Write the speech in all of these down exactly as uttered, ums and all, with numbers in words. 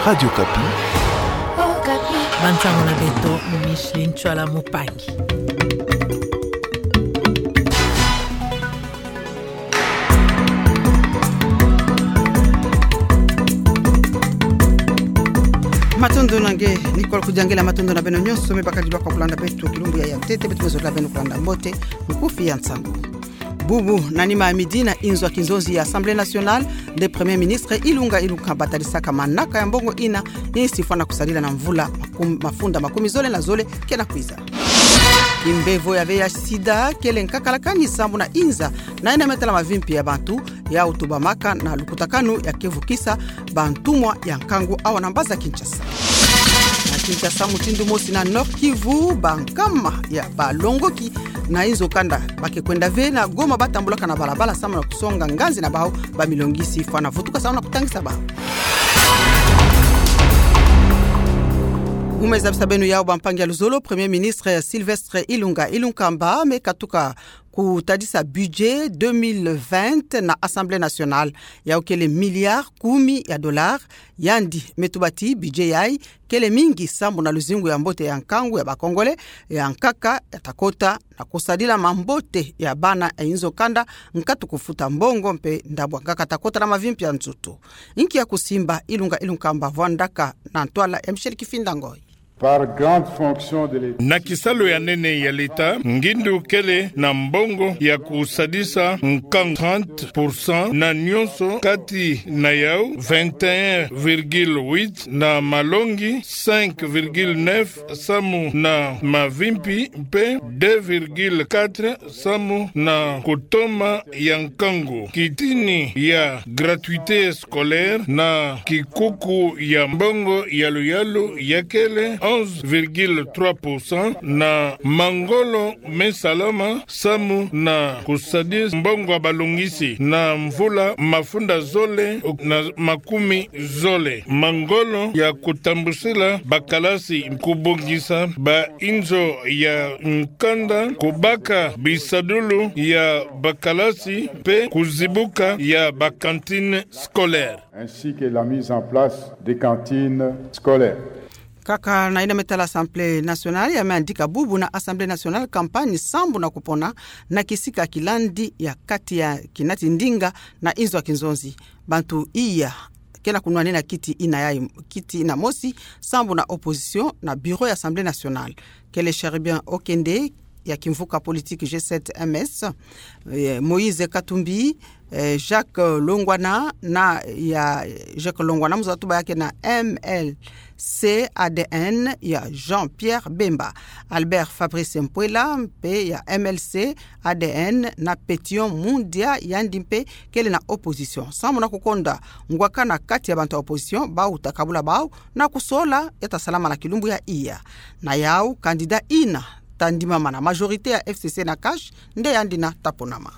Radio Okapi. Okapi. Bansango na beto, Micheline Tshoala Mupangi. Matondo na nge, Nicole Kudiangela, matondo na beno nyonso me bakadi lwaka kulanda beto kilumbu yayi ya ntete. Beto me zolila beno kulanda mbote, mukufi ya nsangu. Bubu na nima ya midi na inzo ya kinzonzi ya Assemblée nationale, le Premier ministre Ilunga Ilunkamba atadisaka manaka ya mbongo ina, insi fwana kusadila na mvula makum-, mafunda makumi zole na zole ke na kwiza. Kimbevo ya V I H sida kele nkaka la kani sambu na inza, na ina me tala mavimpi ya bantu, ya utubamaka na lukutakanu ya kevukisa bantumwa ya nkangu awa na mbazi ya Kinshasa. Na Kinshasa, mutindu mosi na Nord-Kivu, bankama ya balongoki na inzo kanda ba ke kwenda ve na Goma batambulaka na balabala sambu na kusonga nganzi na bawu, bamilongisi fwana vutuka sambu na kutangisa bawu. Ngu me zabisa beno yawu, bampangi ya luzolo, Premier ministre Sylvestre Ilunga Ilunkamba me katuka kutadisa budget deux mille vingt na Assemblée nationale. Yawu kele milliard kumi ya dollars. Yandi me tuba ti budget yayi kele mingi sambu na luzingu ya mbote ya nkangu ya ba Congolais, ya nkaka ya ta kota na kusadila mambote ya bana ya inzo kanda, nkatu kufuta mbongo mpe ndambu ya nkaka ta kota na mavimpi ya nzutu. Inki ya kusimba Ilunga Ilunkamba? Vwandaka na ntwala ya Michel Kifinda Ngoi. Par grande fonction de l'État. Na kisalu ya nene ya leta, ngindu kele na mbongo ya kusadisa nkangu, trente pour cent, na nyonso kati na yawu, vingt et un virgule huit na malongi, cinq virgule neuf samu na mavimpi, mpe deux virgule quatre samu na kutoma ya nkangu. Kitini ya gratuité scolaire na kikuku ya mbongo ya luyalu ya kele onze virgule trois pour cent, na mangolo me salama samu na kusadisa mbongo ya balongisi na mvula mafunda zole na makumi zole. Mangolo ya kutambusila bakalasi, kubongisa ba inzo ya nkanda, kubaka bisadulu ya bakalasi, mpe kuzibuka ya ba cantines scolaires. Ainsi que la mise en place des cantines scolaires. Kaka na ina me tala Assemblée nationale, ya me yandika bubu na Assemblée nationale campagne sambu na kupona na kisika kilandi ya kati ya kinati ndinga na inzo ya kinzonzi. Bantu iya ke na kunwanina kiti ina yayi, kiti ina mosi, sambu na opposition na bureau ya Assemblée nationale. Kele Cherubin Okende ya kimvuka politique G sept M S, eh, Moïse Katumbi, eh, Jacques Longwana na ya, Jacques Longwana, muzatuba yake na M L C A D N ya Jean-Pierre Bemba, Albert Fabrice Mpuela mpe ya M L C A D N na Pétion Mundia, yandi mpe kele na opposition. Sambu na kukonda ngwakana kati ya bantu ya opposition, bawu ta kabula bawu na kusola ya ta salama na kilumbu ya iya. Na yawu, candidat ina ta ndimama na majorité ya F C C na CACH, nde yandi na ta ponama.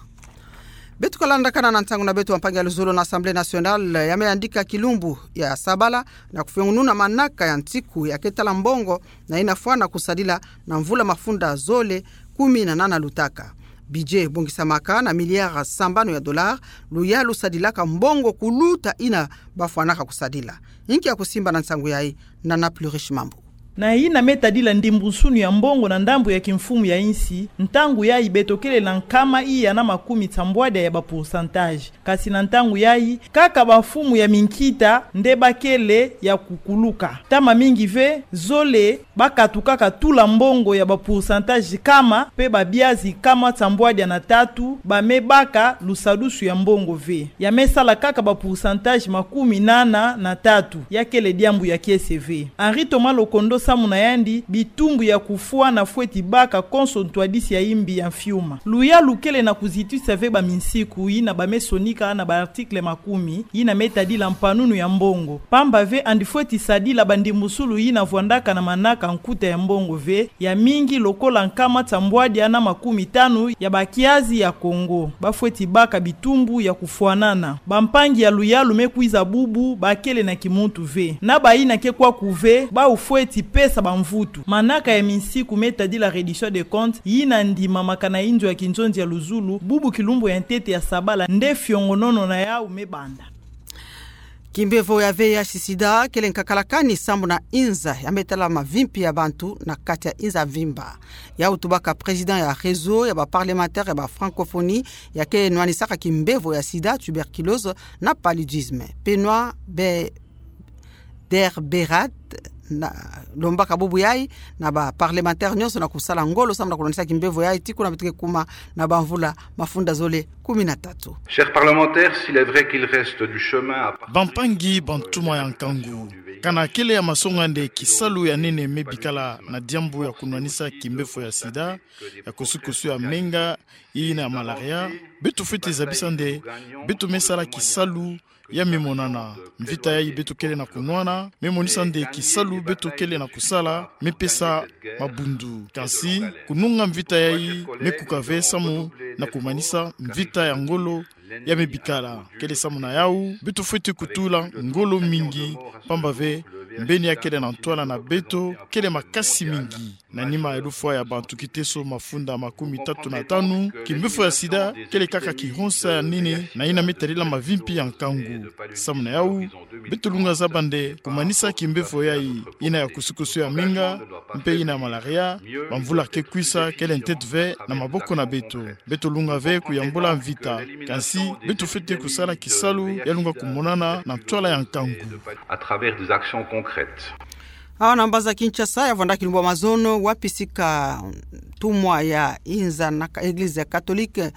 Beto kalandakana na ntangu na beto, bampangi ya luzolo, na Assemblée nationale ya me yandika kilumbu ya sabala na kufiongununa manaka ya nsiku ya ke tala mbongo na ina fwana kusadila na mvula mafunda zole kumi na nana lutaka. Budget bongisamaka na milliard sambanu ya dollars, luyalu sadilaka mbongo kuluta ina bafwanaka kusadila. Inki ya kusimba na nsangu yayi? Nana Plurish Mambu. Na ina me tadila ndimbunsunu ya mbongo na ndambu ya kimfumu ya insi, ntangu yayi beto kele na nkama iya na makumi tsambwadia ya ba pourcentage. Kasi na ntangu yayi, kaka bamfumu ya minkita nde ba kele ya kukuluka. Ntama mingi ve, zole ba katukaka tula mbongo ya ba pourcentage kama, mpe babiazi kama tsambwadia na tatu ba me baka lusadusu ya mbongo ve. Ya me sala kaka ba pourcentage makumi nana na tatu, ya kele diambu ya kiese ve. Henri Thomas Lokondo samu na yandi, bitumbu ya kufwana fweti baka konso ntwadisi ya imbi ya mfiuma. Luyalu kele na kuzitisa ve baminsiku ina ba me sonika na ba article makumi ina me tadila mpanunu ya mbongo. Pamba ve yandi fweti sadila bandimbunsulu ina vwandaka na manaka nkuta ya mbongo ve, ya mingi lokola nkama tsambwadia na makumi tanu ya bakiazi ya Congo ba fweti baka bitumbu ya kufwanana. Bampangi ya luyalu me kwiza bubu ba kele na kimuntu ve. Na bayi na ke kwaku ve, bawu fweti pesa bamvutu. Manaka ya minsiku me tadila reddition de compte ina ndimamaka na inzo ya kinzonzi ya luzulu, bubu kilumbu ya ntete ya sabala nde fiongonono na yawu me banda. Kimbevo ya V I H sida kele nkakalakani sambu na inza ya me tala mavimpi ya bantu na kati ya inza mvimba. Yau tubaka président ya réseau ya ba parlementaire ya ba francophonie ya ke nwanisaka kimbevo ya sida, tuberculose na paludisme, Benoît Be-, Derberat, na lombaka bubu yayi na ba parlementaire nyonso na kusala ngolo sambu na kunwanisa kimbevo yayi ti kuna beto ke kuma na ba mvula mafunda zole kumi na tatu. Chers parlementaires, s'il est vrai qu'il reste du chemin à parcourir. Bampangi, bantumwa ya nkangu, kana kele ya masonga nde kisalu ya nene me bikala na diambu ya kunwanisa kimbevo ya sida, ya kosukosu ya menga, yina ya malaria, beto fwete zabisa nde beto me sala kisalu ya me monana mvita yayi beto kele na kunwana, me monisa nde kisalu beto kele na kusala me pesa mabundu. Kansi kununga mvita yayi me kuka ve samu na kumanisa mvita ya ngolo ya me bikala. Kele samu na yau, beto fwete kutula ngolo mingi, pamba ve mbeni ya kele na ntwala na beto kele makasi mingi. Na nima ya lufwa ya bantu kiteso mafunda makumi tatu na tanu, kimbevo ya sida kele kaka kihonsa ya nene na yina me tadila mavimpi ya nkangu. Samu na yau, beto lunga zaba nde kumanisa kimbevo yayi, yina ya kosukosu ya menga, mpe yina ya malaria, bamvula ke kwisa kele ntete ve na maboko na beto. Beto lunga ve kuyambula mvita, kansi beto fwete kusala kisalu ya lunga kumonana na ntwala ya nkangu. À travers des actions concrètes. Awa na mbanza Kinshasa, ya vwanda kilumbu ya mazono, wapi sika ntumwa ya inza na ka-, Église catholique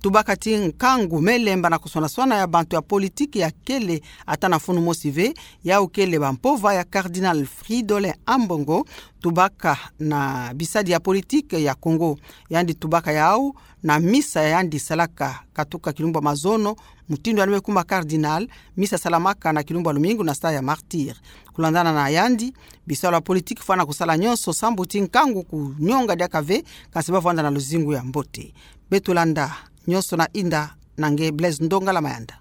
tubaka ti nkangu me lemba na kuswana-swana ya bantu ya politique ya kele ata na funu mosi ve, yau kele bampova ya Cardinal Fridolin Ambongo, tubaka na bisadi ya politique ya Congo. Yandi tubaka yau na misa yandi salaka katuka kilumbu ya mazono, mutindu yandi me kuma cardinal, misa salamaka na kilumbu ya lumingu na stade ya Martyrs. Kulandana na yandi, bisalu ya politique fwana kusala nyonso sambu ti nkangu kunyonga diaka ve, kansi ba vwanda na luzingu ya mbote. Beto landa nyonso na inda na nge Blaise Ndongala Mayanda.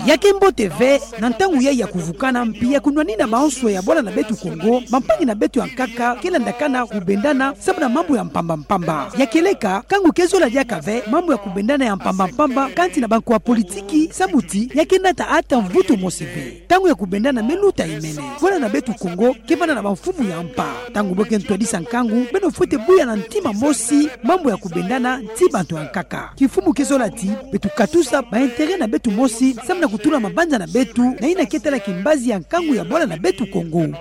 Ya ke mbote ve, na ntangu yayi ya kuvukana mpi ya kunwanina bansoni ya bwala na beto Kongo, bampangi na beto ya nkaka, ke landakana kubendana samu na mambu ya mpamba-mpamba. Ya kieleka, nkangu ke zola diaka ve mambu ya kubendana ya mpamba-mpamba kati na banko ya politiki, samu ti ya ke nata ata mvutu mosi ve. Ntangu ya kubendana me luta imene. Bwala na beto Kongo ke vanda na bamfumu ya mpa. Ntangu bo ke ntwadisa nkangu, beno fwete buya na ntima mosi mambu ya kubendana ti bantu ya nkaka. Kimfumu ke zola ti beto katusa ba intérêt na beto mosi, samu na kutula mabanza na beto na yina ke tala kimbazi ya nkangu ya bwala na beto Kongo.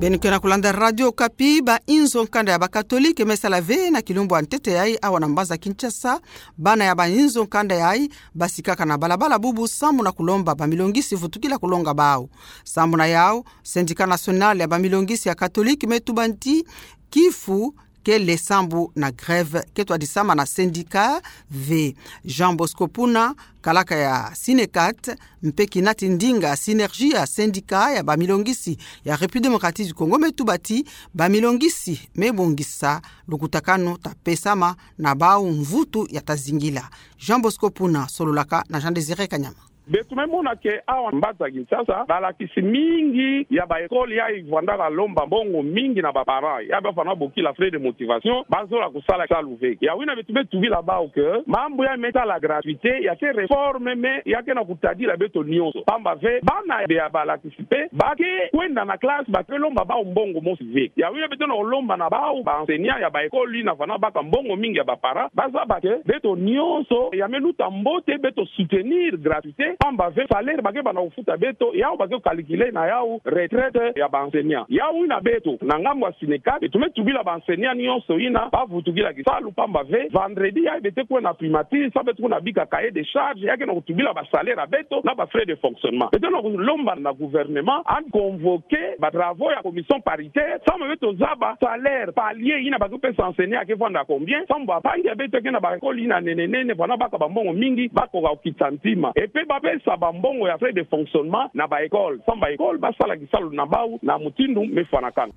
Beno ke na kulanda Radio Okapi. Ba inzo nkanda ya ba catholique me sala ve na kilumbu ya ntete yayi awa na mbanza Kinshasa. Bana ya ba inzo nkanda yayi basikaka na balabala bubu samu na kulomba bamilongisi vutukila kulonga bau. Samu na yau, Syndicat national ya bamilongisi ya catholique me tuba ti kifu kele samu na grève ke twadisama na syndicat ve. Jean Bosco Puna, kalaka ya Synecat, mpe kinati ndinga synergie ya syndicat ya bamilongisi ya République démocratique du Congo, me tuba ti bamilongisi me bongisa lukutakanu ta pesama na bau mvutu ya ta zingila. Jean Bosco Puna, sololaka na Jean Désiré Kanyama. Beto me mona ke awa mbanza Kinshasa, balakisi mingi ya ba école yayi vwandaka lomba mbongo mingi na ba parents, ya ba fana bokila frais de motivation, ba zola kusala kisalu ve. Ya wina beto me tubila bau ke mambu ya me tala gratuité, ya ke réforme, mais ya ke na kutadila beto nyonso. Pamba ve, bana ya balakisi mpe, ba ke kwenda na classe, ba ke lomba bau mbongo mosi ve. Ya wina beto na kulomba na bau ba enseignants ya ba école yina fana baka mbongo mingi ya ba parents, ba zaba ke beto nyonso ya me luta mbote beto soutenir gratuité, pamba ve salaire ba ke banda kufuta beto, yau ba ke calculer na yau retraite ya ba enseignants. Ya wina beto, na ngambu ya Synecat, beto me tubila ba enseignants nyonso yina ba vutukila kisalu, pamba ve vendredi yayi beto ke kwenda na primature, samu beto ke na bika cahier de charge, ya ke na kutubila ba salaire ya beto na ba frais de fonctionnement. Beto na kulomba na gouvernement a convoquer ba travaux ya commission paritaire, samu beto zaba salaire palier yina ba ke pesa enseignant ya ke vwanda combien, samu bampangi ya beto ya ke na ba école yina nene nene, vwanda baka ba mbongo mingi, ba koka kukitisa ntima. Et puis ba pesa ba mbongo ya frais de fonctionnement na ba école, samu ba école ba sala kisalu na bau na mutindu me fwanakana.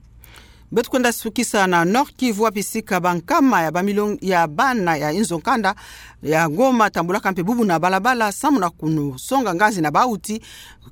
Beto kwenda sukisa na Nord-Kivu, wapi sika bankama ya bamilong-, ya bana ya inzo nkanda ya Goma tambulaka mpe bubu na balabala samu na kusonga ngazi na bau ti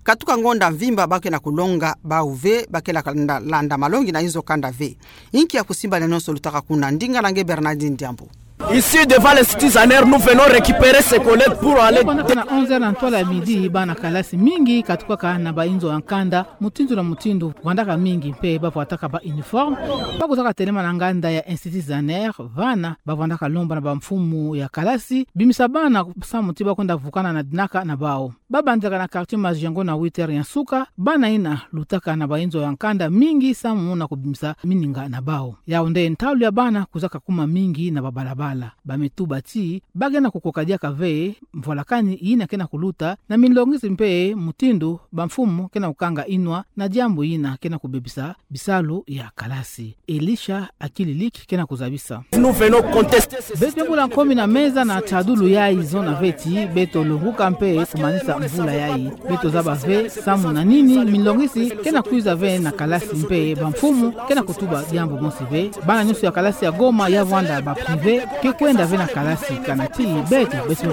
katuka ngonda mvimba ba ke na kulonga bau ve, ba ke landa, landa malongi na inzo nkanda ve. Inki ya kusimbana nyonso lutaka kuna? Ndinga na nge Bernardine Diambu. Ici, devant l'Institut Zaner, nous venons récupérer ces collègues pour aller. Banda na onze heures na ntwala ya midi, bana kalasi mingi katukaka na bainzo ya nkanda, mutindu na mutindu, vandaka mingi mpe bavwataka ba uniforme. Bakuzaka telema na nganda ya Institut Zaner, vana bavandaka lomba na bamfumu ya kalasi bimisa bana samu ti bakwenda vukana na dinaka na bau. Babandaka na quartier Majengo na huit heures ya nsuka, bana ina lutaka na bainzo ya nkanda mingi samu na kubimisa mininga na bau. Yau nde ntalu ya bana kuzaka kuma mingi na babalabala. Bamituba ti, bagena kukoka diaka ve mvwalakani ina kena kuluta, na minlongisi mpe mutindu bamfumu kena kukanga inwa na diambu ina kena kubebisa bisalu ya kalasi. Elisha Akililiki kena kuzabisa. Nous venons contester ce système. Beto bula nkomi na meza na tadulu yayi zona ve ti, beto longuka mpe kumanisa mvula yayi. Beto zaba ve samu na nini minlongisi kena kwiza ve na kalasi mpe bamfumu kena kutuba diambu mosi ve. Bana nyonso ya kalasi ya Goma ya vwanda ba privé, ke kwenda ve na kalasi kana ti beto, beto,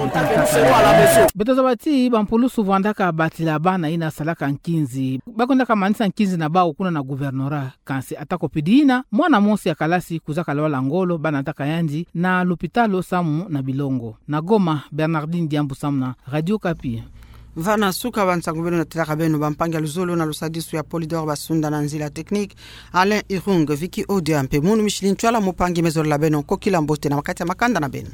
beto zaba ti bampulusu vwandaka batila bana ina salaka nkinzi. Bakwendaka manisa nkinzi na bau kuna na gouvernorat. Kansi atako pidi ina, mwana mosi ya kalasi kuzaka lwala ngolo, banataka yandi na lopitalo samu na bilongo. Na Goma, Bernardine Diambu samu na Radio Okapi. Vana suka ba nsangu beno na telaka beno, bampangi ya luzolo na lusadisu ya Polydor Basunda, na nzila technique Alain Irung, Vicky Odia mpe Munu Micheline Ntwala, mupangi me zololo beno, kokila mbote na makati ya makanda na beno.